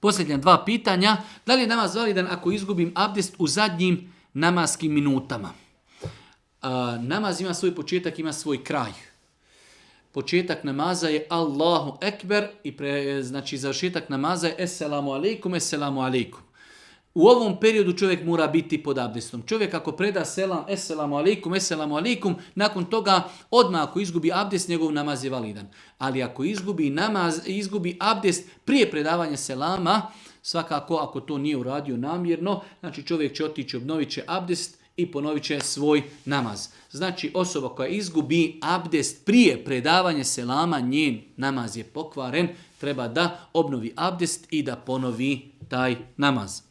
Posljednja 2 pitanja. Da li je namaz validan ako izgubim abdest u zadnjim namaskim minutama? Namaz ima svoj početak, ima svoj kraj. Početak namaza je Allahu Ekber i znači završetak namaza je Esselamu alaikum, Esselamu alaikum. U ovom periodu čovjek mora biti pod abdestom. Čovjek ako preda selam, Esselamu alaikum, Esselamu alaikum, nakon toga odmah ako izgubi abdest, njegov namaz je validan. Ali ako izgubi abdest prije predavanja selama, svakako ako to nije uradio namjerno, znači čovjek će otići, obnovit će abdest i ponovit će svoj namaz. Znači osoba koja izgubi abdest prije predavanja selama, njen namaz je pokvaren, treba da obnovi abdest i da ponovi taj namaz.